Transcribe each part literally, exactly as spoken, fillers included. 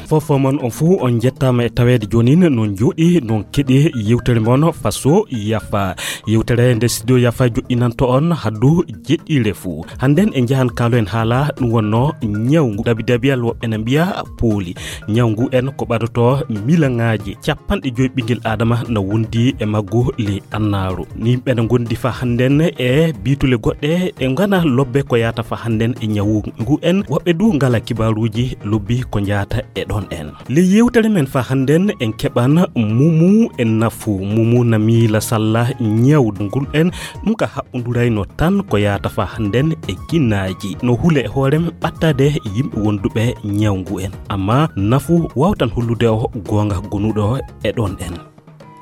Fofo mon on fuu on njettaama e taweede joonin, non njooɗi, non keɗi yewtere mon Faso Yafa. Yewtere nde Studio Yafa joɗɗinanto on haddu jeɗɗiire fuu. Hannden en njahan kaaloen haala ɗum wonno ñawngu dabidabiyal woɓɓe na mbiya pooli. Ñawngu en ko ɓadoto milaŋaaji capanɗe joyi ɓinngel Aadama na wondi e maggu ley annaaru. Yimɓe na ngondi fa hannden e biitule goɗɗe ɗe ngana lobbe ko yaata fa hannden e ñawngu en. Woɓɓe du ngala kibaaruuji lobbi ko njaata e ɗon en. Ley yewtere men fa hannden en keɓan mumu e nafu. Mumu na miila salla ñawngu en. Ɗum ka haɓɓundurayno tan ko yaata fa hannden e ginnaaji. No hule e hoorem ɓattaade yimɓe wonduɓe ñawngu en. Amma nafu wawtan hollude o goonga gonuɗo e ɗon en.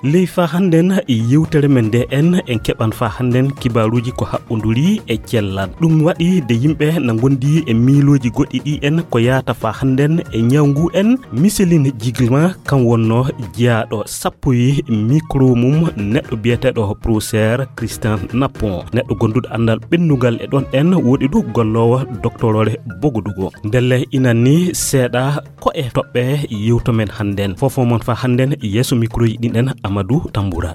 Ley fa hannden yewtere men nde en, en keɓan fa hannden kibaaruuji ko haɓɓunduri e cellal. Ɗum waɗi de yimɓe na ngondi e miilooji goɗɗi ɗi en ko yaata fa hannden e ñawngu en. Micheline Jigma kam wonno jiyaaɗo sappoyi micro mum neɗɗo biyeteeɗo professeur Christian Napon. Neɗɗo gonduɗo anndal ɓennungal e ɗon en woɗi du golloowo doctorore bogodugo. Ndelle inan ni seeɗa ko e toɓɓe yewto men hannden. Fofo mon fa hannden yeeso microji ɗin en Amadou Tamboura.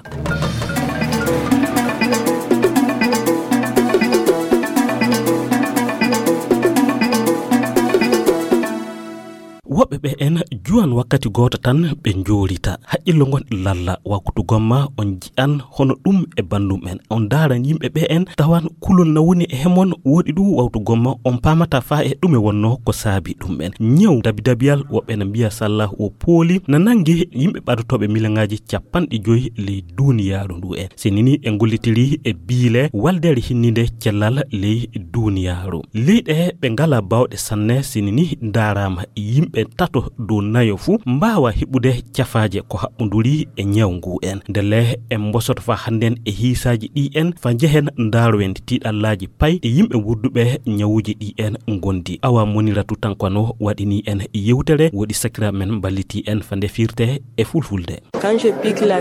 Woɓɓe ɓe en juwan wakkati gooto tan ɓe njoorita. Haqqillo ngon lalla waktu gomma on ji'an hono ɗum e bandum en. On ndaaran yimɓe ɓe en tawan kulol na woni e hemon woɗi ɗum waktu gomma on paamata faa e ɗume wonno ko saabi ɗum en. Ñaw dabidabiyal woɓɓe na mbiya sallah o pooli na nangi yimɓe ɓadotooɓe milaŋaaji capanɗe joyi ley duuniyaaru ndu en. Sinini e ngollitiri e biile waldeere hinninde cellal ley duuniyaaru. Leyɗe ɓe ngala bawɗe sanne sinini ndaaraama yimɓe tato dow nayo fuu mbaawa heɓude cafaaje ko haɓɓunduri e ñaw ngu en. Ndelle en mbosoto fa hannden e hiisaaji ɗi en fa njehen ndaarowen tiiɗallaaji pay e yimɓe wurduɓe ñawuuji ɗi en ngondi. Awa Moniratu Tankano waɗini en yewtere woɗi sakiraaɓe men mballiti en fa nde firte e fulfulde.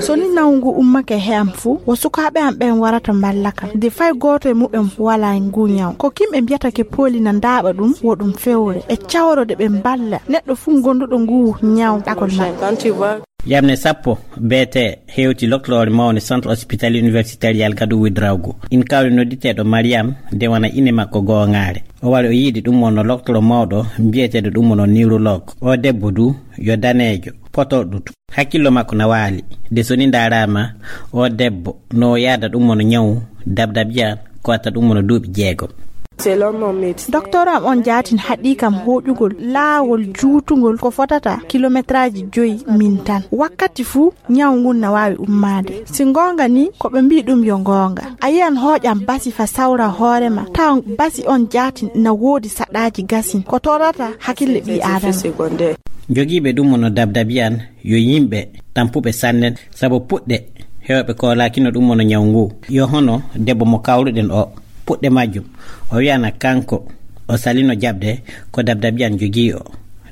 So ni nawngu ummake he am fuu, wo sukaaɓe am ɓen warata mballa kam. De fay gooto e muɓɓen walaa ngu ñaw. Ko kimɓe mbiyata ke pooli na ndaaɓa ɗum, wo ɗum fewre. E cawrode ɓe mballa neɗɗo fuu gonduɗo ngu ñaw ɗakol makko. Yamne sappo B T hewti lokloore mawne Centre Hospitalier Universitaire Yalgadu Ouédraogo. In kawri nodditeeɗo Mariam de wana ine makko goongaare. O wari o yiidi ɗum wonno loktoro mawɗo mbiyeteeɗo ɗum wonno neurologue. O debbo du yo daneejo, potorɗo tu. Hakkillo makko na waali. De so ni ndaaraama, o debbo no o yaada ɗum wonno ñawu dabdabiyan ko watta ɗum wonno duuɓi jeegom. Doktor am on jaatin haɗi kam hoƴugol laawol juutungol ko fotata kilometraaji joyi min tan. Wakkati fuu ñaw ngun na waawi ummaade. Si ngoonga ni, ko ɓe mbii ɗum yo ngoonga. A yiyan hooƴan basi fa sawra hoore ma, tawan basi on jaatin na woodi saɗaaji gasin. Ko torrata hakille ɓii Aadama. Jogiiɓe ɗum wonno dabdabiyan yo yimɓe tampuɓe sanne, sabu puɗɗe heewɓe koolaakino ɗum wonno ñaw ngu. Yo hono debbo mo kawruɗen o, puɗɗe majjum, o wiyana kanko o salino jaɓde ko dabdabiyan jogii o.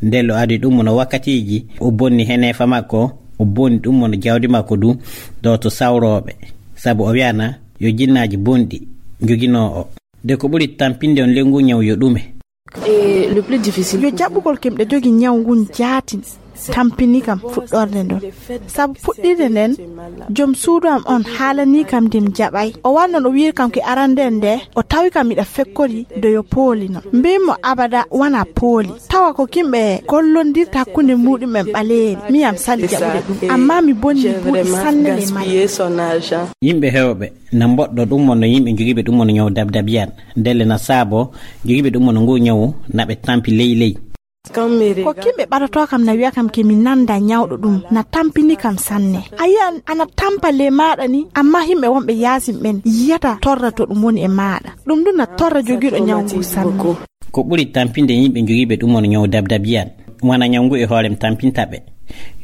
Nden lo adi ɗum wonno wakkatiiji, o bonni heneefa makko, o bonni ɗum wonno jawdi makko du, ɗo to sawrooɓe. Sabu o wiyana yo jinnaaji bonɗi njoginoo o. De ko ɓuri tampinde on ley ngu ñaw yo ɗume? Yo jaɓɓugol kimɗe jogi ñaw ngun jaatin tampini kam fuɗɗorde ndon. Sabu puɗɗirde nden, jom suudu am on haalanii kam nde mi jaɓay. O wanno no wiiri kam ki arande nde, o tawi kam miɗa fekkori do yo pooli non. Mbiimi mo abada wana pooli. Tawa ko kimɓe gollondirta hakkunde muɗum en ɓaleeri. Mi am sali jaɓude ɗum. Amma mi bonni buuɗi sanne ley majji. Yimɓe heewɓe na mboɗɗo ɗum wonno yimɓe jogiiɓe ɗum wonno ñaw dabdabiyan. Ndelle na saabo jogiiɓe ɗum wonno ngu ñawu na ɓe tampi ley ley. Ko kimɓe ɓaɗotoo kam na wi'a kam ke mi nanda ñawɗo ɗum, na tampini kam sanne. A yi'an ana tampa ley maaɗa ni, amma yimɓe wonɓe yaasin ɓen yi'ata torra to ɗum woni e maaɗa. Ɗum ɗum na torra jogiiɗo ñaw ngu sanne. Ko ɓuri tampinde yimɓe jogiiɓe ɗum wonno ñaw dabdabiyan. Wana ñaw ngu e hoorem tampinta ɓe.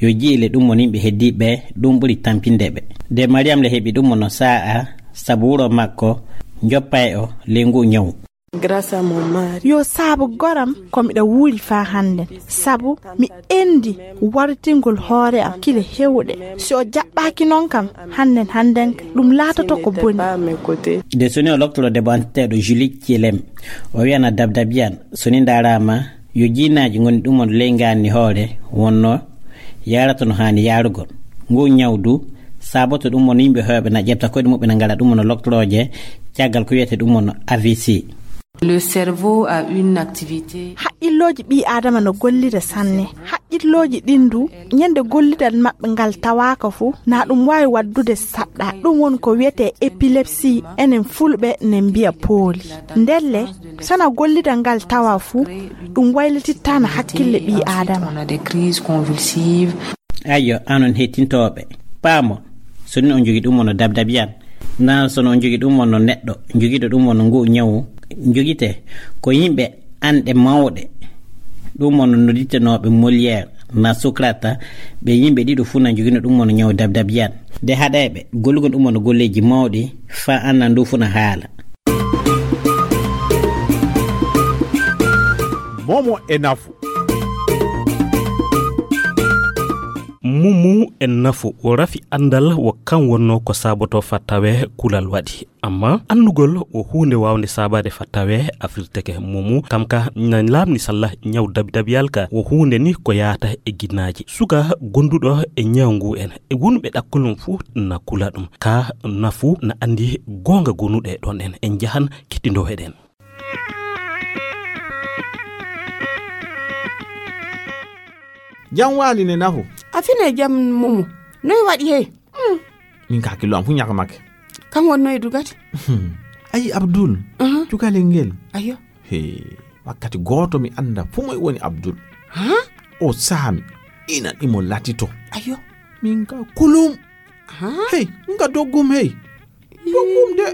Yo ji'ile ɗum wonno yimɓe heddiiɓe, ɗum ɓuri tampinde ɓe. De Mariam le heɓi ɗum wonno saa'a, sabu wuro makko joppay o ley ngu ñaw. Yo saabu goram ko miɗa wuuri faa hannden, sabu mi endi wartingol hoore am kile hewɗe. Si o jaɓɓaaki non kam, hannden hannden ka, ɗum laatoto ko boni. De so ni o loktoro debbo anteteeɗo Julie Thielem, o wiyana dabdabiyan, so ni ndaaraama, Yo jinnaaji ngoni ɗum on ley ngaanni hoore wonno yaarata no haani yaarugol. Ngu ñaw du saboto ɗum on yimɓe heewɓe na ƴetta koyɗe muɓɓe na ngala ɗum on loktorooje caggal ko wiyete ɗum on A V C. Le cerveau a une activité. Haqqillooji ɓii aadama no gollida sanne. Haqqillooji ɗin du ñande gollidal maɓɓe ngal tawaaka fu na ɗum waawi waddude saɗɗa. Ɗum woni ko wiyete epilepsie, enen fulɓe ne mbiya pooli. Ndelle sana gollidal ngal tawa fu ɗum waylitittaana hakkille ɓii aadama. On a des crises convulsives. Ayyo, anon hettintooɓe, paamo, so ni on jogi ɗum on no dabdabiyan, na so no on jogi ɗum on no neɗɗo jogiɗo ɗum on no ngu ñawu jogite, ko yimɓe anɗe mawɗe, ɗum on no nodittenooɓe Molière na Socrate, ɓe yimɓe ɗiɗo fuu na jogino ɗum on no ñawu dabdabiyan. De haɗayɓe gollugol ɗum on no golleeji mawɗi, faa anna ndu fuu na haala. Momo e nafu. Mumu e nafu o rafi anndal wo kan wonno ko saboto fa tawe kulal waɗi. Amma annugol o huunde waawde sabaade fa tawe afirteke. Mumu kam ka na laamni salla ñaw dabidabiyal ka wo huunde ni ko yaata e ginnaaji. Suka gonduɗo e ñaw ngu en e wonɓe ɗakkol mum fuu na kula ɗum. Ka nafu na anndi goonga gonuɗe ɗon en. En njahan kettindoo heɗen. Jam waali ne nafu. A fine jam mumu. Noy waɗi hey? Min ka killo am fu ñaka make. Kan wonno e dugati? Ayi Abdul. Aha. Cukalel ngel. Ayo. He, wakkati gooto mi annda fu moy woni Abdul. Ha? O saami. Ina ɗimo latito. Ayo. Min ka kulum. Ha? Hey, nga doggum hey. Doggum de.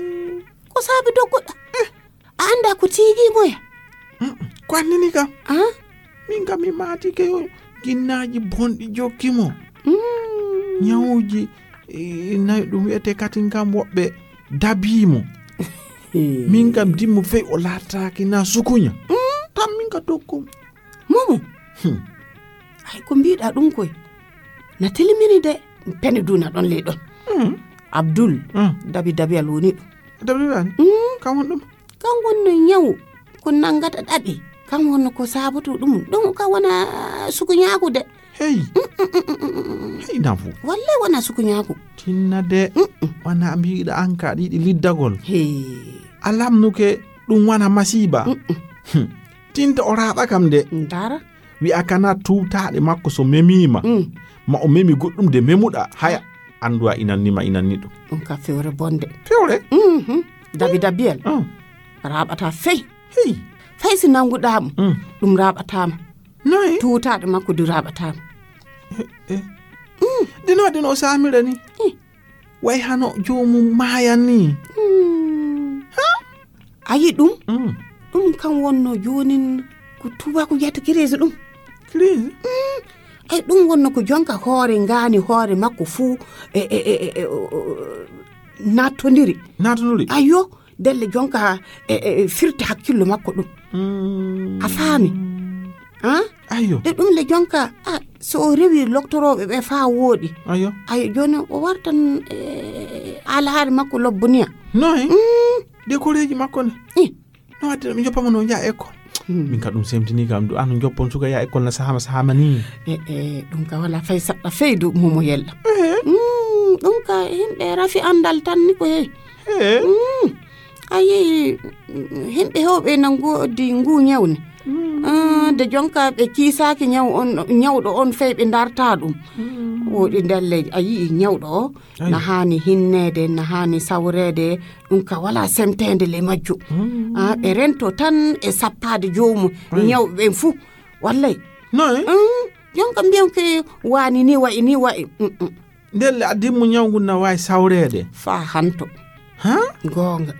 Ko saabi dogguɗa? Eh. A annda ko tiigi moya? Mm, ko annini kam. Ah? Min kam mi maatike yo ginnaaji bonɗi jokki mo. Mm. Ñawuji, eh, nayi ɗum wiyete katin kam woɓɓe dabii mo. Min kam dimmo fey o laataaki na sukuña. Mm. Tan min ka doggum. Momo. Hmm. Ay, ko mbiɗa ɗum koy. Na tilimini de. Pene duna ɗon ley ɗon. Mm. Abdul. Mm. Dabi dabi al woni ɗum. Dabi dabi al? Mm. Kan won ɗum? Kan wonno ñawu. Ko nangata ɗaɓi. Kan wonno ko saboto ɗum. Ɗum ka wona sukuñaaku de. Hey. Mm, mm, mm, mm, mm, mm. Hey, nafu. Wallahi wona sukuñaaku. Tinna de. Mm, mm. Wana mbiɗa an ka ɗiɗi liddagol. Hey. A lamnuke ɗum wana masiiba. Mm, mm. Hmm. Tinta o raaɓa kam de. Ndara. Wi'a kana tuutaaɗe makko so memiima. Mm. Ma o memi goɗɗum de memuɗa. Haya. Anndu a inanni ma inanni ɗum. Ɗum ka fewre bonde. Fewre? Mhm. Dabi dabiyel. Ah. Raaɓata fey. Hey. Fay si nannguɗaa mo. Mm. Ɗum raaɓataa ma. Noy? Tuutaaɗe makko du raaɓataa ma. Eh, eh. Mm. Dino, dino o saamira ni. Eh. Way hano joomum maayan ni. Mm. Ha? A yi ɗum? Mm. Ɗum kan wonno joonin ko tubaako wiyata crise ɗum. Crise? Mm. Ay, ɗum wonno ko jonka hoore ngaani hoore makko fuu e, e, e, e, e, o, o, nattondiri. Nattondiri? Ayo, delle jonka e, e, e, firti hakkillo makko ɗum. Mm. A faami? Ah? Ayo. E ɗum le jonka, ah, so o rewi loktorooɓe ɓe faa wooɗi. Ayo. Ayo, jooni o wartan, e, alahaare makko lobboniya. Noy? Mm. De koreeji makko ne? Eh. No wadde mi joppa mo no nja école. Hmm. Min ka ɗum semtini kam, du an joppon suka ya école na sahama sahama ni. E, e, ɗum ka wala fay saɗɗa fay du momo yella. Eh. Mm, ɗum ka himɓe rafi andal tan ni ko hey. Eh. Mm. A yehi, mm, himɓe heewɓe na ngoodi ngu ñawne. Mm. Ah, de jonka ɓe kiisaaki ñaw on, ñawɗo on fey ɓe darta ɗum. Mm. Woɗi ndelle a yi'i ñawɗo o, ayi, na haani hinneede, na haani sawreede, ɗum ka wala semteende le majjo. Mm. Ah, ɓe rento tan e sappaade joomum, ayi, ñawɓe ɓen fuu. Wallay. Noy? Mm. Jonka mbiyan ke waani ni wa'i, ni wa'i. Mm, mm. Ndelle a dimmo ñaw ngun na waawi sawreede. Faa hanto. Ha? Goonga.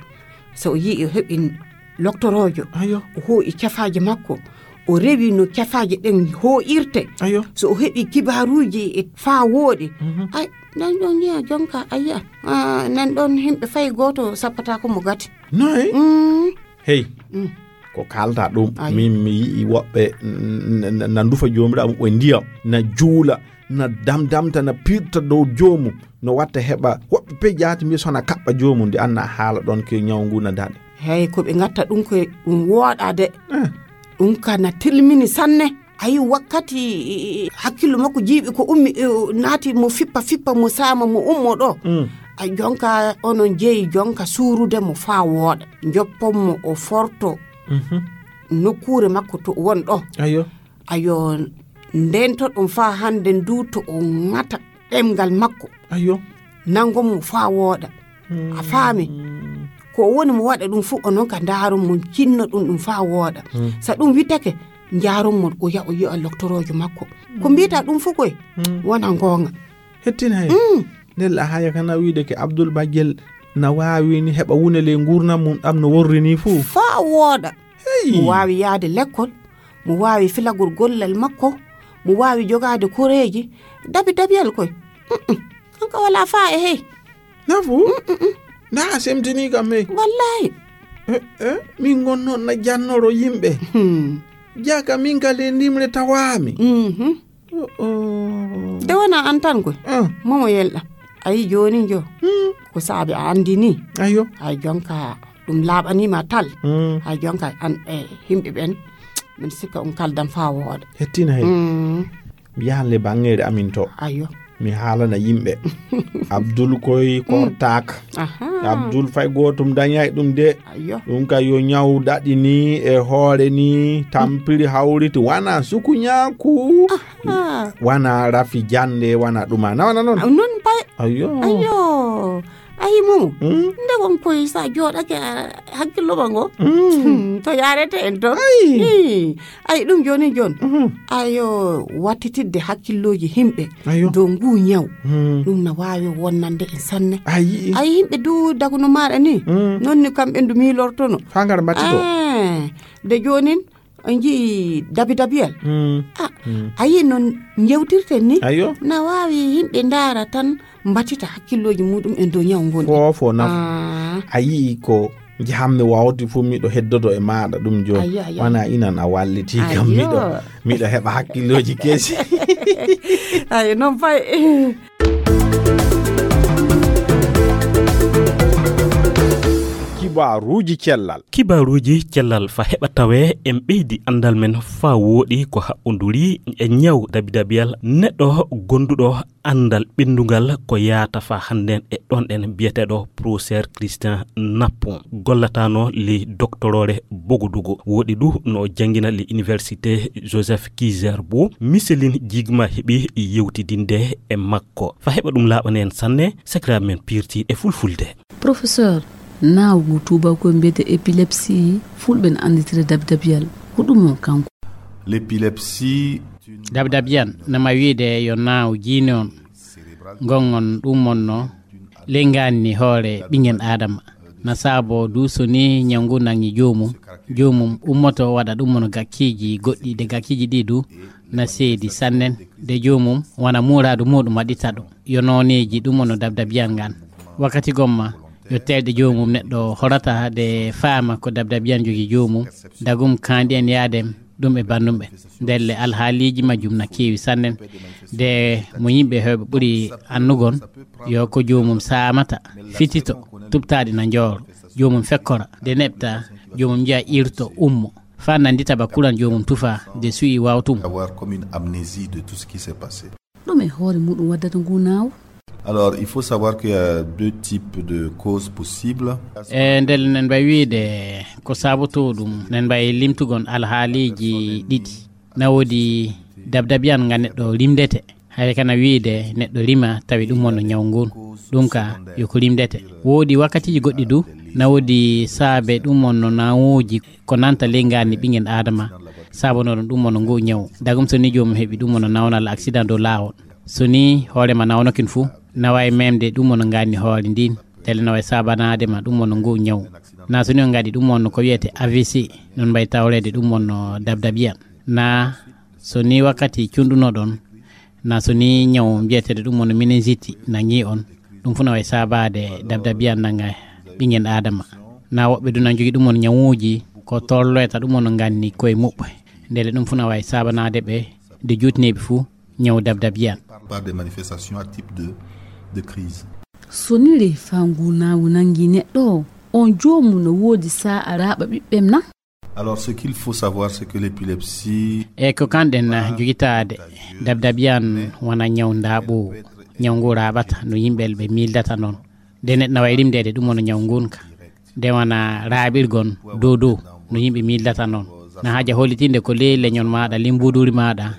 So o yi'i o heɓi loktoroojo, ayo, o hoo'i cafaaje makko, o rewi no cafaaje ɗen hoo'irte. Ayo. So o heɓi kibaaruuji e faa wooɗi. Mhm. Ay, nan ɗon yi'a jonka, a yi'a. Ah, nan ɗon himɓe fay gooto sappata ko mo gati. Noy? Mm. Hey, mm, ko kaalta ɗum, ayi, min mi yi'i woɓɓe n-, n-, n-, na ndufa Joomiraaɗo muɓɓen ndiyam, na juula, na damdamta, na pirta dow joomum, no watta heɓa woɓɓe pe jaati mbiya so na kaɓɓa joomum, nde anna haala ɗon ke ñaw ngu na daɗe. Hey, ko ɓe ngatta ɗum ko ɗum wooɗa de. Eh. Ɗum ka na tilmini sanne. Ayi, wakkati hakkillo makko jiiɓi ko ummi, naati mo fippa fippa mo saama mo ummo ɗo. A jonka onon jeeyi jonka suurude mo faa wooɗa, joppon mo o forto nokkuure makko to won ɗo. Ayo. Ayo, ndento ɗum faa hannde ndu to o ŋata ɗemngal makko. Ayo. Nangon mo faa wooɗa. A faami? Ko o woni mo waɗa ɗum fuu, onon ka ndaaron mo, cinno ɗum ɗum faa wooɗa. So ɗum witake, njaaron mo o yaha o yi'a loktoroojo makko. Ko mbiyta ɗum fuu koy wona ngoonga. Hettin hay. Ndella haya kana wiide ke Abdul Bajel na waawi ni heɓa wune ley nguurndam mum ɗam no worri ni fuu. Faa wooɗa. Mo waawi yahde lekkol, mo waawi filagol gollal makko, mo waawi jogaade koreeji, dabi dabiyal koy. Kanko walaa faa e hey. Nafu? Nda a semtini kam hey. Wallahi. Eh, eh, min ngon noon na jannoro yimɓe. Jaka min ka ley ndimre tawaami. De wona an tan koy. Momo yelɗa. Ayi jooni jo. Ko saabi a anndini. Ayo. Ay jonka ɗum laaɓaniima tal. Ay jonka an e yimɓe ɓen. Min sikka on kaldan faa wooɗa. Hettina hey. Mi yahan le bangeere amin to. Ayo. Mi haalana yimɓe. Abdul koy kortaaka. Abdul fay gootum dañay ɗum de. Ayo. Ɗum ka yo ñaw daɗi ni e hoore ni, tampiri hawriti, wana sukuñaaku. Wana rafi jannde, wana ɗuma. Na wana noon? Noon pay. Ayo. Ayo. Ayi mum. Nde won koy sa jooɗake hakkillo ma ngo. To yaarete en toon. Ayi ɗum jooni jooni. Ayo, wattitidde hakkillooji yimɓe. Ayo. Dow ngu ñaw. Ɗum na waawi wonnande en sanne. Ayi. Ayi yimɓe du daguno maaɗa ni. Noon ni kamɓe ndu miilortono. Faa ngar mbattito. De joonin on njii dabidabiyal. A yii noon njewtirten ni. Ayo. Na waawi yimɓe ndaara tan mbattita hakkillooji muɗum en dow ñaw ngon. Foofo nafu. A yii ko njahammi wawti fof miɗo heddodo e maaɗa ɗum jooni. Ayo, ayo. Wana inan a walliti kam miɗo miɗo heɓa hakkillooji kesi. Ayo noon fay. Kibaaruuji cellal. Kibaaruuji cellal fa heɓa tawee en ɓeydi anndal men faa wooɗi ko haɓɓonduri e ñaw dabidabiyal neɗɗo gonduɗo anndal ɓenndungal ko yaata faa hannden e ɗon ɗen biyeteeɗo professeur Christian Nappon gollataano le doctorore Bogodogo woɗi du no janngina le université Joseph Kizerbo. Miselin Jigma heɓi yewtidinde e makko fa heɓa ɗum laaɓani en sanne sakiraaɓe men piirti e fulfulde. Professeur, naawgu tuubakooɓe mbiyete epilepsie, fulɓe no annditira dabidabiyal. Ko ɗum o kanko? L'épilepsie. Dabdabiyan nama wiide yo naaw jiini on ngon on ɗum on no ley ngaanni hoore ɓingen aadama. Na saabo du so ni ñaw ngu nangi joomum, joomum ummoto waɗa ɗum on gakkiiji goɗɗi de gakkiiji ɗi du na seedi sannen de joomum wana muuraadu muɗum waɗita ɗum. Yo nooneeji ɗum on no dabdabiyan ngan. Wakkati gomma yo teelɗe joomum neɗɗo horata de faama ko dabdabiyan jogi joomum. Dagum kaandi en yaadem ɗum e bannumɓe. Ndelle alhaaliiji majjum na keewi sannen. De mo yimɓe heewɓe ɓuri annugon yo ko joomum saamata fitito tuɓtaaɗi na njooro. Joomum fekkora de neɓta joomum njiya irto ummo. Faa nanndita ba kuran joomum tufa de suyi wawtum. Avoir comme une amnésie de tout ce qui s'est passé. Ɗum e hoore muɗum waddata ngu naaw. Alors, il faut savoir qu'il y a deux types de causes possibles. E ndel nen mbay wiide ko saabotoo ɗum nen mbay limtugon alhaaliiji ɗiɗi. Na woodi dabdabiyan nga neɗɗo rimdete. Hay kana wiide neɗɗo rima tawi ɗum wonno ñaw ngun. Ɗum ka yo ko rimdete. Woodi wakkatiiji goɗɗi du na woodi saabe ɗum wonno nawooji ko nanta ley ngaanni ɓingen aadama. Saabonoo ɗum ɗum wonno ngu ñaw. Dagum so ni joomum heɓi ɗum wonno nawnal accident dow laawol. So ni hoore ma nawnokin fuu, naway memde ɗum wonno ngaanni hoore ndin. Tele naway saabanaade ma ɗum wonno ngu ñaw. Na so ni on ngaɗi ɗum wonno ko wiyete A V C, non mbay tawreede ɗum wonno dabdabiyan. Na so ni wakkati cunɗunoɗon, na so ni ñaw mbiyeteeɗo ɗum wonno meningite nangi on, ɗum fuu naway saabaade dabdabiyan nanga ɓingen aadama. Na woɓɓe du na jogi ɗum wonno ñawuuji ko torloyta ɗum wonno nganni koye muɓɓe. Ndele ɗum fuu naway saabanaade ɓe de juutneeɓe fuu ñaw dabdabiyan. Par des manifestations à type de, de crise. So ni le faa ngu naawu nangi neɗɗo, on joomum no woodi saa a raaɓa ɓiɓɓem na? Alors, ce qu'il faut savoir, c'est que l'épilepsie... E ko kanɗen jogitaade, dabdabiyan wona ñaw ndaaɓoowu. Ñaw ngu raaɓata no yimɓe ɓe miildata noon. Nde neɗɗo na wayi rimdeede ɗum wona ñaw ngun ka. Nde wona raaɓirgon dow dow no yimɓe miildata noon. Na haaja hollitinde ko ley leñol maaɗa, ley mbuuduuri maaɗa.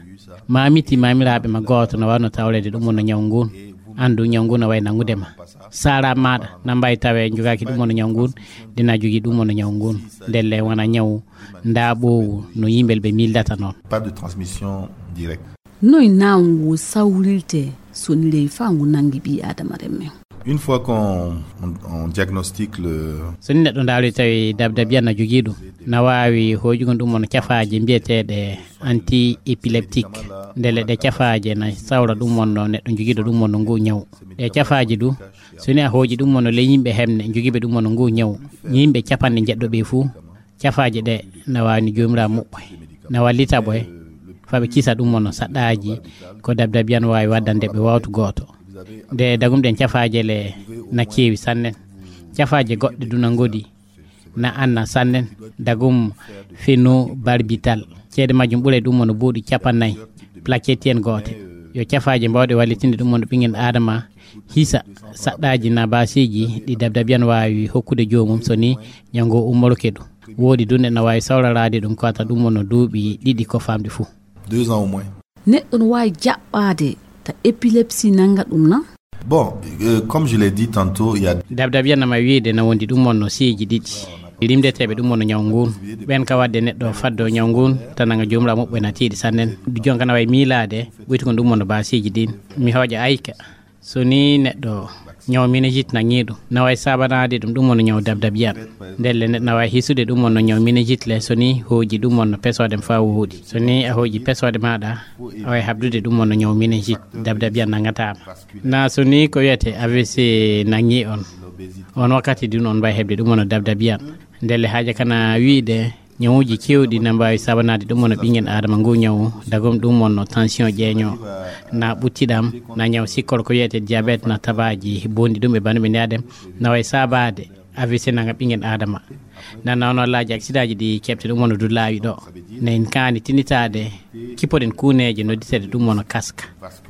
Maamiti maamiraaɓe ma gooto no waawno tawreede ɗum wona ñaw ngun. Anndu ñaw ngun na wayi nanngude ma. Saara maaɗa na mbayi tawe njogaaki ɗum wona ñaw ngun. Dina jogii ɗum wona ñaw ngun. Ndelle wona ñaw ndaaɓoowu no yimɓe ɓe miildata noon. Pas de transmission directe. Noy naawu ngu sawrirte so ni ley faa ngu nanngi ɓii Aadama remmen? Une fois qu'on on, on diagnostique le... So ni neɗɗo ndaari tawi dabdabiyan na jogii ɗum, na waawi hooƴugol ɗum wona cafaaje mbiyeteeɗe anti-épileptique. Ndelle ɗe cafaaje na sawra ɗum wonno neɗɗo jogiiɗo ɗum wonno ngu ñaw. Ɗe cafaaje du, so ni a hooƴi ɗum wonno ley yimɓe hemne jogiiɓe ɗum wonno ngu ñaw, yimɓe capanɗe njeɗɗo ɓe fuu, cafaaje ɗe na waawi ni Joomiraaɗo muɓɓoy, na wallita ɓoy faa ɓe kisa ɗum wonno saɗɗaaji ko dabdabiyan waawi waddande ɓe wawtu gooto. Nde dagum ɗen cafaaje le na keewi sannen. Cafaaje goɗɗe du na ngodi na anna sannen, dagum phenobarbital. Ceede majjum ɓuray ɗum wonno buuɗi capannay, plaquette en goote. Yo cafaaje mbaawɗe wallitinde ɗum wonno ɓinngel Aadama hisa saɗɗaaji na baasiiji ɗi dabdabiyan waawi hokkude joomum so ni ñaw ngo ummoroke ɗum. Woodi du neɗɗo na waawi sawraraade ɗum ko ata ɗum wonno duuɓi ɗiɗi ko famɗi fuu. Deux ans au moins. Neɗɗo no waawi jaɓɓaade ta épilepsie nannga ɗum na? Bon, euh, comme je l'ai dit tantôt, il y a... Dabdabiyan na ma wiide na wondi ɗum wonno siiyeeji ɗiɗi. Rimdeteeɓe ɗum wonno ñaw ngun. Ɓen ka waɗde neɗɗo faddo ñaw ngun, tan nanga Joomiraaɗo muɓɓoy na tiiɗi sannen. Jonka na wayi miilaade, ɓoytu ko ɗum wonno baasiiji ɗin. Mi hooƴa ayka. So ni neɗɗo ñaw meningite nangii ɗum, na wayi saabanaade ɗum, ɗum wonno ñaw dabdabiyan. Ndelle neɗɗo na wayi hisude ɗum wonno ñaw meningite le, so ni hooƴi ɗum wonno pesoode faa wooɗi. So ni a hooƴi pesoode maaɗa, a wayi habdude ɗum wonno ñaw meningite, dabdabiyan nangataa ma. Na so ni ko wiyetee A V C nangii on, on wakkati dun on mbayi heɓde ɗum wonno dabdabiyan. Ndelle haaja kana wiide, ñawuuji keewɗi na mbaawi saabanaade ɗum wonno ɓinngel Aadama ngu ñaw, dagum ɗum wonno tension ƴeeño, na ɓuttiɗam, na ñaw sikkoro ko wiyetee diabète, na tabaaji bonɗi ɗum e banndum e nde adem, na wayi saabaade A V C nanga ɓinngel Aadama. Na nawno laaji aksidaaji ɗi keɓte ɗum wonno du laawi ɗo. Na en kaani tinitaade, kippoɗen kuuneeje nodditeeɗe ɗum wonno kaska.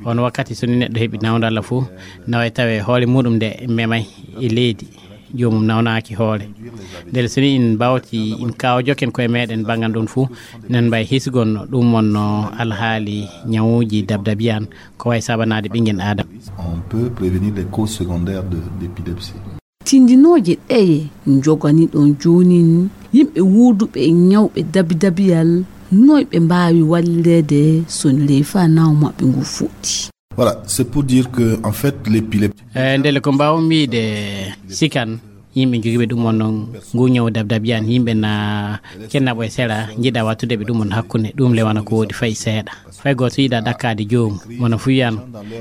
On wakkati so ni neɗɗo heɓi nawndo Allah fuu, na wayi tawe hoore muɗum nde memay e leydi, joomum nawnaaki hoore. Ndelle so ni en mbawti, en kaawa jokken koye meɗen banngal ɗon fuu, nen mbay hisgon ɗum wonno alhaali ñawuuji dabdabiyan ko wayi saabanaade ɓinngel Aadama. On peut prévenir les causes secondaires de, d'épilepsie. Tindinooje ɗeye njogani ɗon joonin yimɓe wuuduɓe e ñawɓe dabidabiyal, noy ɓe mbaawi walleede so ni ley faa naw maɓɓe ngu fuɗɗi? Voilà, c'est pour dire que, en fait, l'épilepsie... Eh, ndelle ko mbaawmi wiide, sikan yimɓe jogiiɓe ɗum wonno ngu ñaw dabdabiyan, yimɓe na kennaɓo e sera, njiɗa wattude ɓe ɗum wonno hakkunde, ɗum le wona ko woodi fay seeɗa. Fay gooto yiɗa ɗakkaade joomum, wona fuu wiyan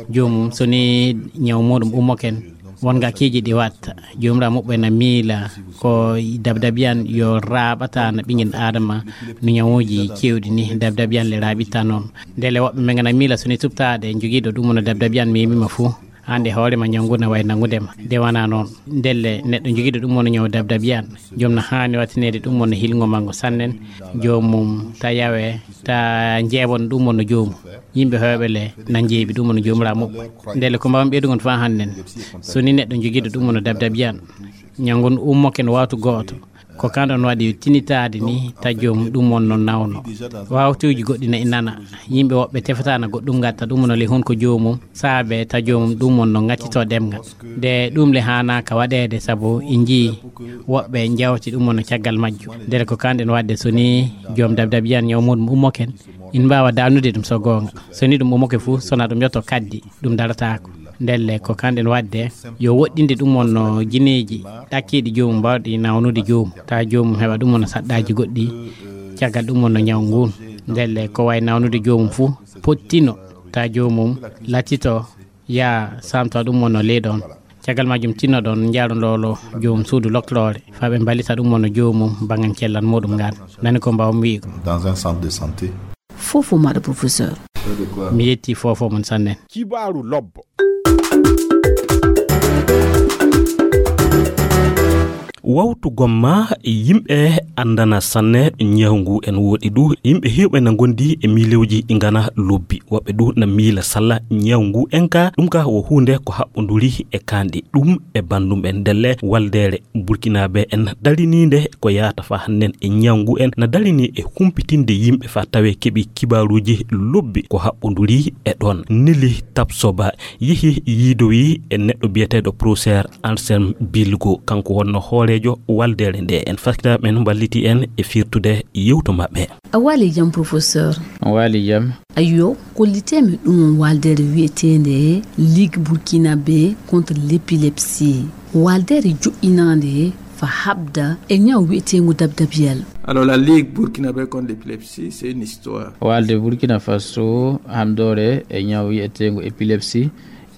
joomum, so ni ñaw muɗum ummoken, won ngakkeeji ɗi watta. Joomiraaɗo muɓɓen na miila ko dabdabiyan yo raaɓata na ɓinngel Aadama no ñawuuji keewɗi ni, dabdabiyan le raaɓitta noon. Ndelle woɓɓe men ngana miila so ni tubtaade jogiiɗo ɗum wonno dabdabiyan memima fuu, aan e hoore ma ñaw ngu na wayi nanngude ma. Nde wona noon. Ndelle neɗɗo jogiiɗo ɗum wonno ñaw dabdabiyan, joom na haani wattineede ɗum wonno hilngo manngo sannen, joomum ta yawe, ta njeeɓon ɗum wonno joomum. Yimɓe heewɓe le na njeeɓi ɗum wonno Joomiraaɗo muɓɓen. Ndelle ko mbaawmi ɓeydugon faa hannden, so ni neɗɗo jogiiɗo ɗum wonno dabdabiyan, ñaw ngun ummoken wawtu gooto, ko kan ɗon waɗi tinitaade ni ta joomum ɗum wonno nawno. Wawtuuji goɗɗi na e nana. Yimɓe woɓɓe tefata na goɗɗum ngatta ɗum wonno le hun ko joomum, saabe ta joomum ɗum wonno ngattito ɗemngal. Nde ɗum le haanaaka waɗeede sabu en njii woɓɓe njawti ɗum wonno caggal majjum. Ndelle ko kan ɗen waɗde so ni joom dabdabiyan ñaw muɗum ummoken, en mbaawa daalnude ɗum so goonga. So ni ɗum ummoke fuu, so na ɗum yotto kaddi, ɗum darataako. Ndelle ko kan ɗen waɗde yo woɗɗinde ɗum wonno jineeji ɗakkiiɗi joomum mbaawɗi nawnude joomum. Ta joomum heɓa ɗum wonno saɗɗaaji goɗɗi, caggal ɗum wonno ñaw ngun. Ndelle ko wayi nawnude joomum fuu, pottino, ta joomum lattito, yaa samto ɗum wonno ley ɗon. Caggal majjum tinnoɗon njaaron lolo joomum suudu loktoroore, faa ɓe mballita ɗum wonno joomum banngal cellal muɗum ngal. Nani ko mbaawmi wi'ugo. Dans un centre de santé. Foofo maɗa, professeur. Mi yetti foofo mon sanne. Kibaaru lobbo. Wawtu gomma yimɓe anndana sanne ñaw ngu en woɗi ɗu. Yimɓe heewɓe na ngondi e miilewji ɗi ngana lobbi. Woɓɓe ɗu na miila salla ñaw ngu en ka. Ɗum ka wo huunde ko haɓɓonduri e kanɗi. Ɗum e banndum en ndelle waldeere Burkinaaɓe en dariniinde ko yahata fa hannden e ñaw ngu en na darini e humpitinde yimɓe fa tawe keɓi kibaaruuji lobbi ko haɓɓonduri e ɗoon. Nili Tapsoba yehi yiidowi e neɗɗo biyeteeɗo professeur Anselme Bilgo, kanko wonno hooreejo waldeere nde en. Fakkita men mballiti en e firtude yewto maɓɓe. A waali jam, professeur? On waali jam. Ayyo, kollitee mi ɗum on waldeere wiyeteende Ligue Burkinabé contre l'épilepsie. Waldeere joƴƴinaande fa haɓda e ñaw wiyeteengu dabdabiyal. Alors, la Ligue Burkinabé contre l'épilepsie, c'est une histoire. Walde Burkina Faso hamdoore e ñaw wiyeteengu épilepsie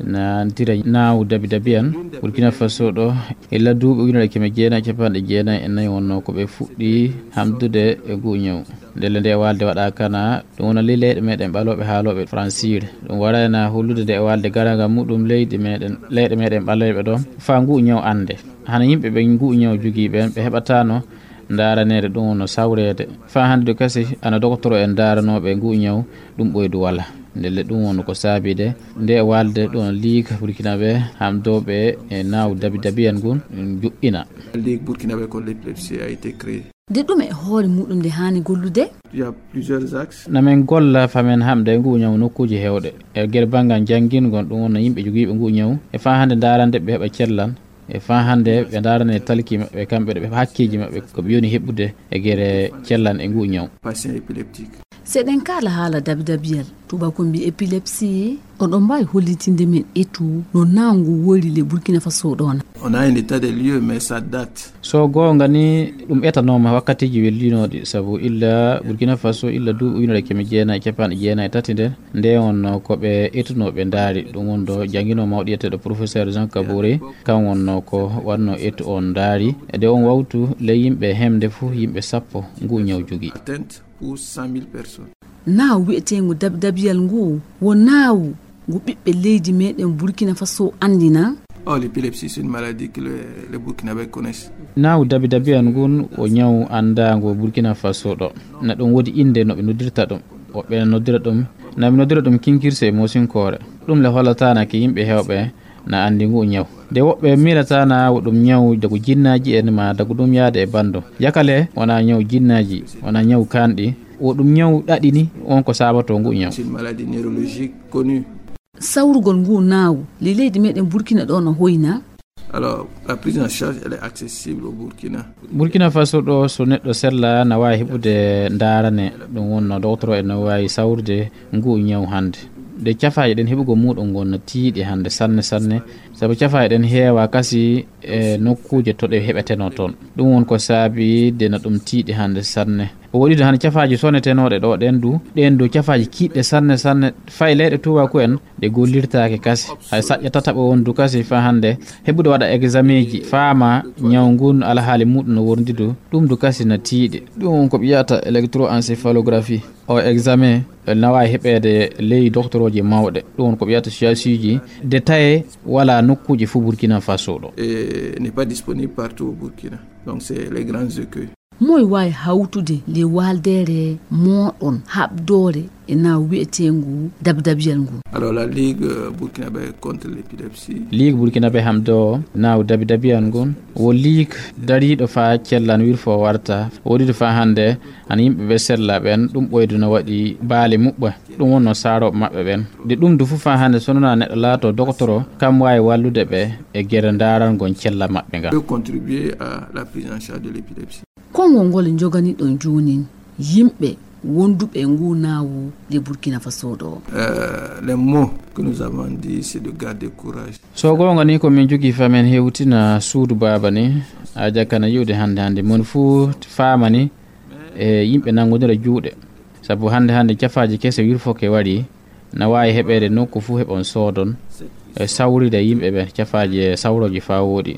na tira naawu dabi dabiyan. Burkina Faso ɗo, illa duuɓi ujunere keme jeenayi e capanɗe jeenayi e nayi wonno ko ɓe fuɗɗi hamdude e ngu ñaw. Ndelle nde walde waɗa kana, ɗum wona ley leyɗe meɗen ɓalooɓe haalooɓe fransiire. Ɗum warayna hollude nde walde garanga muɗum leydi meɗen, leyɗe meɗen ɓalooɓe ɗo, fa ngu ñaw annde. Hana yimɓe ɓe ngu ñaw jogii ɓen, ɓe heɓatano ndaaraneede, ɗum wonno sawreede. Fa hannde kasi, ana dogotoro en ndaaranooɓe ngu ñaw, ɗum ɓoydu wala. Ndelle ɗum wonno ko saabide nde walde ɗon Ligue Burkinabé hamdooɓe e naawu dabi dabiyan ngun joƴƴina. La Ligue Burkinabé contre l'épilepsie a été créée. Nde ɗum e hoore muɗum nde haani gollude? Il y a plusieurs axes. Na men golla fa men hamde ngu ñaw nokkuuji heewɗe. E ger banngal janngingol, ɗum wonno yimɓe jogiiɓe ngu ñaw. E fa hannde ndaarande ɓe heɓa cellan. E fa hannde ɓe ndaarane talki maɓɓe, kamɓe ɗo ɓe heɓa hakkeeji maɓɓe, ko ɓe yoni heɓude e gere cellan e ngu ñaw. Patient épileptique. Si eɗen kaala haala dabidabiyal, tubaako mbi épilepsie, oɗon mbaawi hollitinde men etu no naawu ngu woyri le Burkina Faso ɗoon? On a un état des lieux, mais ça date. So goonga ni, ɗum etanooma wakkatiiji wellinooɗi, sabu illa Burkina Faso, illa duuɓi ujunere keme jeenayi e capanɗe jeenayi e tati nden, nde wonno ko ɓe etunoo ɓe ndaari, ɗum wonno jannginoo mawɗo wiyeteeɗo professeur Jean Kabore, kan wonno ko waɗnoo etu on ndaari. E de on wawtu ley yimɓe hemde fof yimɓe sappo ngu ñaw jogii. Atteinte pour cent mille personnes. Naawu wiyeteengu dabidabiyal ngu wo naawu ngu ɓiɓɓe leydi meɗen Burkina Faso anndina. Oh, l'épilepsie, c'est une maladie que le, les Burkinabés connaissent. Naawu dabidabiyan ngun wo ñaw anndaangu Burkina Faso ɗo. Na ɗum woodi innde no ɓe noddirta ɗum. Woɓɓe na noddira ɗum, na ɓe noddira ɗum kinkirse e moosinkoore. Ɗum le hollataana ke yimɓe heewɓe na anndi ngu ñaw. De woɓɓe miilataana wo ɗum ñaw dagu jinnaaji en ma dagu ɗum yaade e banndum. Yakale wona ñaw jinnaaji, wona ñaw kanɗi. Wo ɗum ñaw ɗaɗi ni, on ko sabato ngu ñaw. C'est une maladie neurologique connue. Sawrugol ngu naawu le leydi meɗen Burkina ɗo no hoyna. Alors, la prise en charge, elle est accessible au Burkina. Burkina Faso ɗo, so neɗɗo sella na waawi heɓude ndaarane, ɗum wonno dogotoro en no waawi sawrude ngu ñaw hannde. De cafaaji ɗen heɓugol muɗum ngon no tiiɗi hannde sanne sanne, sabu cafaaji ɗen heewa kasi e nokkuuje to ɗe heɓetenoo toon. Ɗum won ko saabi de na ɗum tiiɗi hannde sanne. O waɗi ɗo hannde cafaaji sonetenooɗe ɗo ɗen du, ɗen du cafaaji kiiɗɗe sanne sanne, fay leyɗe tubaku en ɗe gollirtaake kasi. Hay saƴƴa tataɓo won du kasi fa hannde heɓude waɗa examen ji, faama ñaw ngun alhaali muɗum no worndi du, ɗum du kasi na tiiɗi. Ɗum won ko ɓe wiyata électroencéphalographie. O examen na waawi heɓeede ley doktorooji mawɗe. Ɗum won ko ɓe wiyata siyaasiiji détaillé wala nokkuuji fof Burkina Faso ɗo. Et n'est pas disponible partout au Burkina. Donc c'est les grands écueils. Moy waawi hawtude le waldeere mooɗon haɓdoore e naawu wiyeteengu dabidabiyal ngu? Alors, la Ligue, euh, burkinabé contre l'épilepsie. Ligue burkinabé hamdo naawu dabidabiyal ngun wo ligue dariiɗo fa cellan wirfo warta. Woɗiiɗo fa hannde, hano yimɓe ɓe sella ɓen, ɗum ɓoydu no waɗi baali muɓɓa. Ɗum wonno saarooɓe maɓɓe ɓen. De ɗum du fof fa hannde, so wonaa neɗɗo laato dogotoro, kam waawi wallude ɓe e gere ndaarangol cella maɓɓe ngal. Peut contribuer à la prise en charge de l'épilepsie. Konngol ngol njoganiɗon joonin yimɓe wonduɓe e ngu naawu le Burkina Faso ɗo. Euh, les mots que nous avons dit, c'est de garder courage. So goonga ni, ko min jogii fa men hewtina suudu baaba ni, a jakana yi'ude hannde hannde. Mon fuu faama ni, e yimɓe nanngondira juuɗe. Sabu hannde hannde cafaaji kese wirfoke wari, na waawi heɓeede nokku fuu heɓon soodon, e sawride yimɓe ɓe cafaaji e sawrooji faa wooɗi.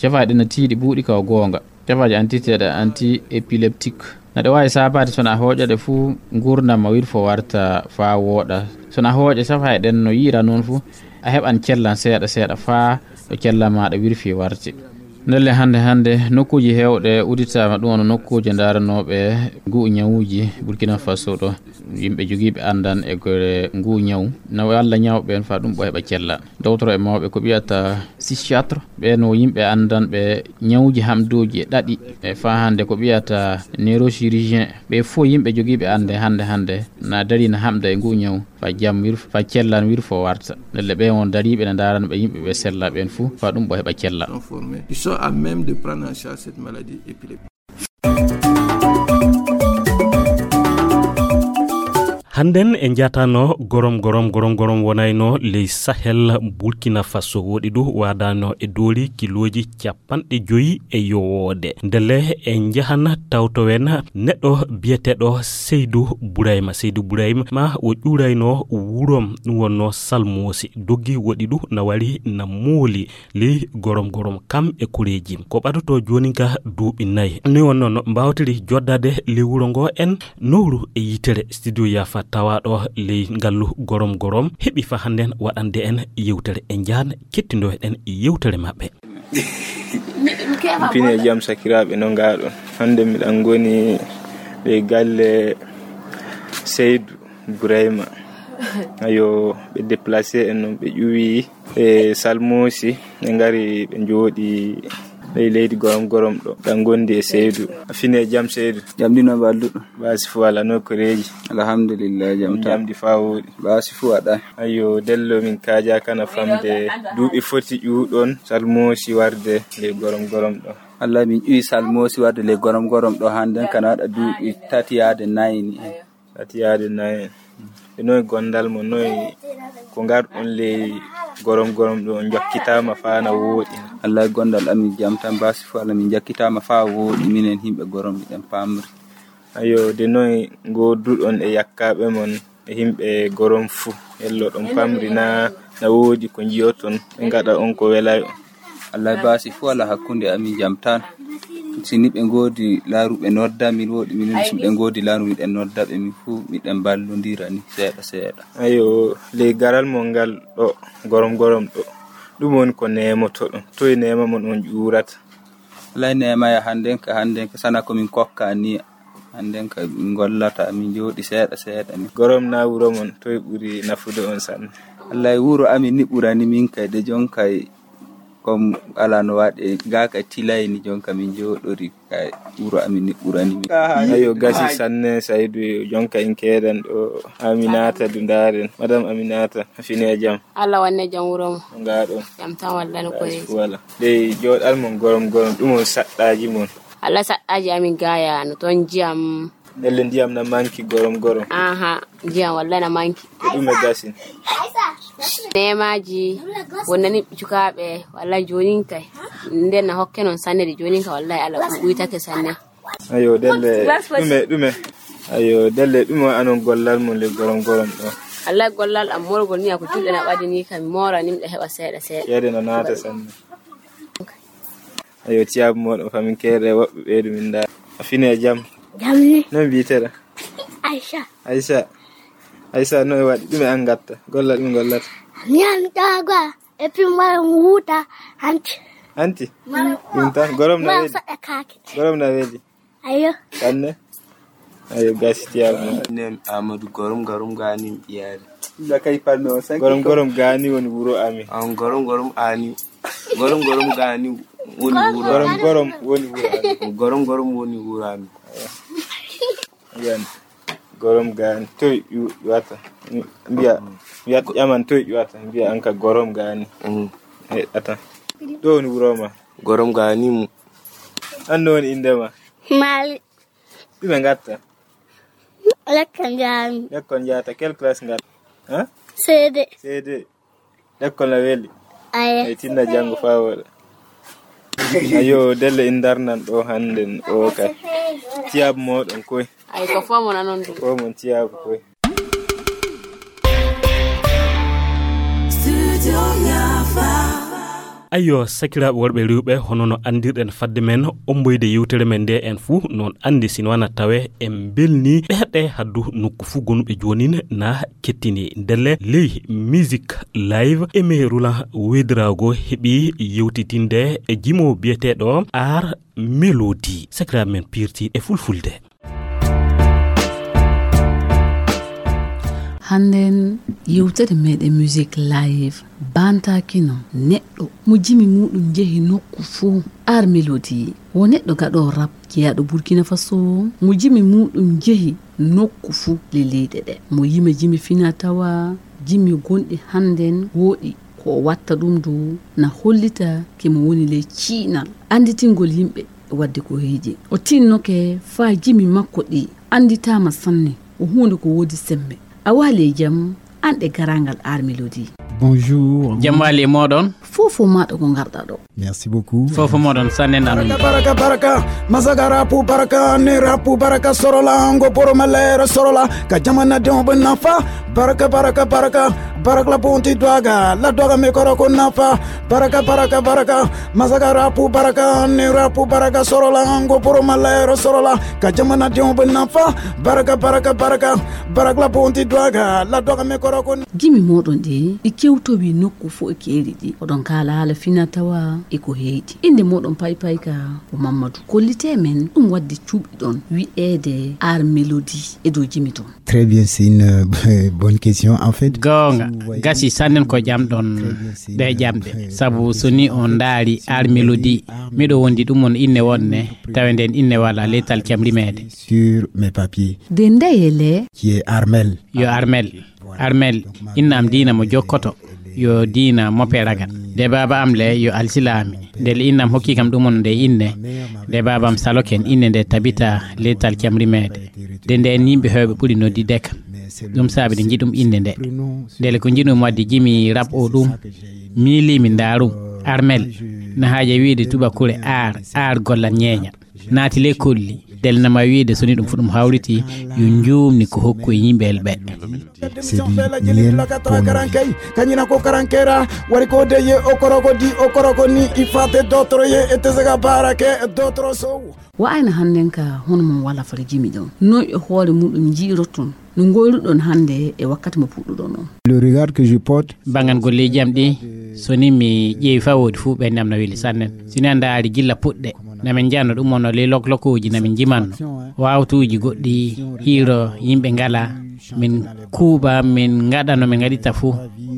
Cafaaji ɗin na tiiɗi buuɗi ka o goonga. Cafaaji antiteeɗe anti-épileptique. Na ɗe waawi saabaade so na a hooƴa ɗe fuu nguurndam ma wirfo warta faa wooɗa. So na a hooƴa cafaaji ɗen no yi'ira noon fuu, a heɓan cellan seeɗa seeɗa faa ɗo cellan maaɗa wirfi warti. Ndelle hannde hannde, nokkuuji heewɗe udditaama, ɗum woni nokkuuje ndaaranooɓe nguu ñawuuji Burkina Faso ɗo. Yimɓe jogiiɓe anndan e gore nguu ñawu, na walla ñawɓe en faa ɗum ɓo heɓa cella. Dowtoro e mawɓe ko ɓiyata psychiatre, ɓe no yimɓe anndanɓe ñawuuji hamduuji e ɗaɗi, e faa hannde ko ɓiyata neurochirurgien, ɓe fof yimɓe jogiiɓe annde hannde hannde na dari na hamda e nguu ñawu. Fa jam wir, fa cellan wir fo warta. Ndelle ɓe won dariiɓe ne ndaarana ɓe yimɓe ɓe sella ɓen fuu, fa ɗum ɓo heɓa cella. Ils sont à même de prendre en charge cette maladie épileptique. Hannden en njatano gorom gorom gorom gorom wonayno ley Sahel, Burkina Faso woɗi ɗu waadano e doori kilooji capanɗe joyi e yowoode. Ndelle en njahan tawtowen neɗɗo biyeteeɗo Seydu Burayma. Seydu Burayma o ƴuurayno wurom, ɗum wonno Salmoosi. Doggi woɗi ɗu na wari na mooli ley gorom gorom kam e koreeji. Ko ɓadoto joonin ka duuɓi nay. Ni wonno no mbaawtiri joddade ley wuro ngo en nowru e yitere studio yaafa tawaaɗo ley ngallu gorom gorom. Heɓi fa hannden waɗande en yewtere e njaan kettindo eɗen yewtere maɓɓe. Pine jam sakiraaɓe no ngaaɗon. Hannde miɗan ngoni ɓe galle Seydu Burayma. Ayo, ɓe déplacé en non ɓe ƴuwi e Salmoosi, ɓe ngari ɓe njooɗi ley leydi gorom gorom ɗo. Ɗan gondi e Seydu. A fine jam Seydu. Jam ɗino balduɗo. Basi fu wala no koreeji. Alhamdulillah jam ta. Jamdi fa wooɗi. Basi fu waɗa. Ayo, dello min kaaja kana famde duuɓi foti ƴuuɗon Salmoosi warde ley gorom gorom ɗo. Allah min ƴuwi Salmoosi warde ley gorom gorom ɗo hannden kana waɗa duuɓi tati yaade nayi ni. Tati yaade nayi. E noy gondal mo noy ko ngarɗon ley gorom gorom ɗo on jokkitaama faa na wooɗi. Allah gondal amin jam tan basi fu Allah min jokkitaama faa wooɗi minen himɓe gorom miɗen pamri. Ayo de noy ngoduɗon e yakkaaɓe mon e himɓe gorom fuu. Hello ɗon pamri na na woodi ko njiyoton ɓe ngaɗa on ko welay on. Allah basi fu ala hakkunde amin jam tan. Si ni ɓe ngoodi laaruɓe nodda min woodi min si ɓe ngoodi laaru miɗen nodda ɓe min fu miɗen ballondira ni seeɗa seeɗa. Ayo ley garal mon ngal ɗo gorom gorom ɗo ɗum woni ko nemotoɗon toye nema mon on ƴuurata? Alay nemaya hannden ka hannden ka sana ko min kokka ni. Hannden ka min gollata min jooɗi seeɗa seeɗa ni. Gorom na wuro mon toye ɓuri nafude on sanne? Allay wuro amin ni ɓurani min kay de jon kay. Comme ala no waɗe ga kay tilay ni jon ka min jooɗori kay wuro amin ni ɓurani min. Ayo gasi sanne Saydu jon ka in keedan ɗo. Aminata du ndaren madame Aminata a fini e jam? Allah wanne jam wuro mo. Ngaɗo jam tan walla no koye? Wala dey jooɗal mon gorom gorom ɗum on saɗɗaji mon. Allah saɗɗaji amin gaya no ton jiyam. Ndelle ndiyam na manki gorom gorom. Aha, ndiyam walla na manki. E ɗum e gasin? Nemaji wonnani cukaaɓe walla jonin kay nden na hokke non sanne de jonin ka wallahi ala ɗum ɓuytake sanne. Ayo delle ɗume ɗume? Ayo delle ɗume anon gollal mon le gorom gorom ɗo? Wallahi gollal am morgol ni ako julɗe na ɓadi ni kam morani miɗa heɓa seeɗa seeɗa. Ceede no naata sanne. Ayo tiyaabu moɗon famin keere woɓɓe ɓeydu min ndaa. A fini e jam? Jam ni. Noy mbiyetee-ɗaa? Aisha. Aisha. Aisha noy waɗi ɗume an ngatta gollal ɗum gollata? Mi an ɗaga e pin mara wuta hanti. Hanti? Ɗum tan gorom na weeli. Gorom na weeli. Ayo. Sanne. Ayo gasi tiyaabu. Nen Amadou gorom gorom gani ɓiyaade. Gorom gorom gani woni wuro amin. On gorom gorom ani. Gorom gorom gani woni wuro. Gorom gorom woni wuro amin. Gorom gorom woni wuro amin. Yan gorom gani toy ƴuwata mbiya mbiya ƴaman toy ƴuwata mbiya an ka gorom gani. Ata ɗo woni wuro ma? Gorom gani mu. An no woni inde ma? Mali. Ɗume ngatta? Lekkol njahmi. Lekkol njahata quelle classe ngatta? Ha? Seede. Seede. Lekkol na weli? Aye. Ay tinna janngo faa wooɗa. Ayo delle in darnan ɗo hannden o kay. Tiyaabu mooɗon koy. Ay ko fo mon anon ɗum. Fo mon tiyaabu koy. Studio Yafa. Ayyo, sakiraaɓe worɓe rewɓe, hono no anndirɗen fadde men omboyde yewtere men nde, en fuu noon anndi, sino wana tawe en mbelni ɓerɗe haddu nokku fuu gonuɓe joonin na kettini. Ndelle ley Music Live, Aimé Roland Ouédraogo heɓi yewtitinde e jimo biyeteeɗo Ar Mélodie. Sakiraaɓe men pirti e fulfulde. Hannden yewtere meɗen Music Live bantakino neɗɗo mo jimi muɗum jehi nokku fuu. Ar Mélodie wo neɗɗo gaɗo rap jeyaaɗo Burkina Faso, mo jimi muɗum jehi nokku fuu le leyɗe ɗe. Mo yima jimi fina tawa, jimi gonɗi hannden wooɗi ko o watta ɗum du na hollita ke mo woni ley ciinal annditingol yimɓe wadde ko heeji. O tinnoke faa jimi makko ɗi annditaama sanne, o huunde ko woodi semmbe. A waali e jam, an ɗe garangal Ar Mélodie. Bonjour. Jam waali e mooɗon. Fofo maaɗa ko ngarɗa ɗo. Merci beaucoup. Fofo mooɗon sannen ɗan. Baraka baraka baraka, masaga rapu baraka, ne rapu baraka sorola, ngo boro malere sorola, ka jamana de on nafa. Baraka baraka baraka, baraka la bonti dwaga, la dwaga me koro ko nafa. Baraka baraka baraka, masaga rapu baraka, ne rapu baraka sorola, ngo boro malere sorola, ka jamana de on nafa. Baraka baraka baraka, baraka la bonti dwaga, la dwaga me koro ko. Jimi moɗon ɗi, ɗi kewtowi nokku fof e keeri ɗi. Oɗon kaala haala fina tawa e ko heyɗi. Innde moɗon paypay ka ko Mammadu. Kollitee men ɗum waɗde cuɓiɗon wi'eede Ar Mélodie e dow jimi ton. Très bien, c'est une euh, bonne question. En fait, goonga, gasi sannen ko ƴamɗon ɗe ƴamɗe. Sabu so ni on ndaari Ar Mélodie, miɗo wondi ɗum on inne wonne, tawe nden inne wala letal cam rimeede. Sur mes papiers. De ndeyele. Qui est Armel. Yo Armel. Armel, inna am diina mo jokkoto, yo diina mope ragal. De baaba am le, yo alsilaami. Ndele inna am hokki kam ɗum on nde inne. De baaba am saloken inne nde tabita letal cam rimeede. De nden yimɓe heewɓe ɓuri noddide kam. Ɗum saabi de njiɗum inne nde. Ndele ko njiɗum wadde jimi rap o ɗum. Miilimi ndaarum. Armel, na haaja wiide tubakure aar, aar gollan ñeeña. Naati le kolli, del nama wiide so ni ɗum fu ɗum hawriti, yo njuumni ko hokku e yimɓe el ɓe. C'est du miel pour nos vies. Kañina ko karankera wari ko deye o koroko di o koroko ni i fate dotro ye e tesega barake dotro sow. Wa ayna hannden ka hono mon wala fota jimi ɗon noy e hoore muɗum jiiroton no ngoyruɗon hannde e wakkati mo puɗɗuɗon on. Le regard que je porte. Bangan golleeji am ɗi, so ni mi ƴeewi faa woodi fuu ɓe namna weli sannen. Si ni a ndaari gilla puɗɗe, namin njano ɗum on no ley loklokooji namin njimanno. Waawtuuji goɗɗi hiiro yimɓe ngala min kuuɓa min ngaɗa no min ngaɗita fuu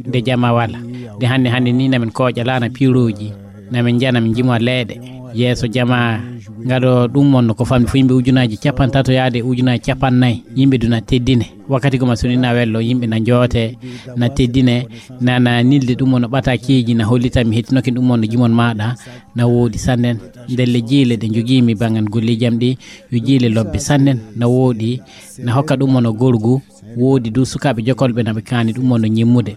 nde jama wala. Nde hannde hannde ni namin kooƴa laana piirooji. Na min njiya na min njimowa leeɗe yeeso jamaa ngaɗo ɗum wonno ko famɗi fo yimɓe ujunaaji capantato yaade ujunaaji capannay yimɓe duna teddine wakkati goma soni na wello yimɓe na njoote na teddine nana nilde ɗum wonno ɓatakeeji na hollita mi hettinoke ɗum wonno jimon maɗa na woodi sannen ndelle jiile ɗe njogiimi bangan golleeji am ɗi yo jiile lobbe sannen na woodi na hokka ɗum wonno gorgu woodi du sukaaɓe jokolɓe na ɓe kaani ɗum wonno ñimmude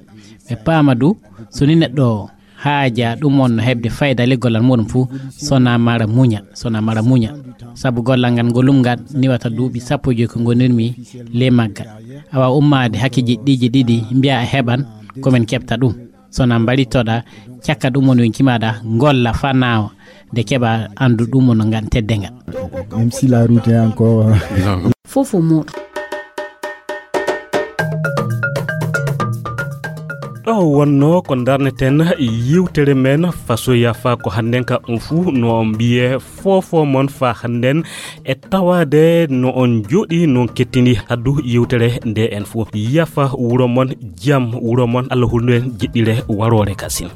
ɓe paama du soni neɗɗo haaja ɗum wonno heɓde fayda le gollal muɗum fuu sona mara muña sona mara muña sabu gollal ngal ngolum ngal niwata duuɓi sappo e joyi ko ngonirmi le maggal awa ummaade hakke jeɗɗiiji ɗiɗi mbiya a heɓan komin keɓta ɗum sona mbarittoɗa cakka ɗum woni yonki maɗa golla fa nawa nde keɓa andu ɗum wonno ngal tedde ngal même si la route est encore fofo moɗo ɗo wonno ko darneten yewtere men fasoya fa ko hannden ka on fuu no mbiye fofo mon fa hannden e tawaade no on jooɗi non kettini haddu yewtere nde en fuu yafa wuro mon jam wuro mon allah hulnuɗen jiɗɗire waroore kasin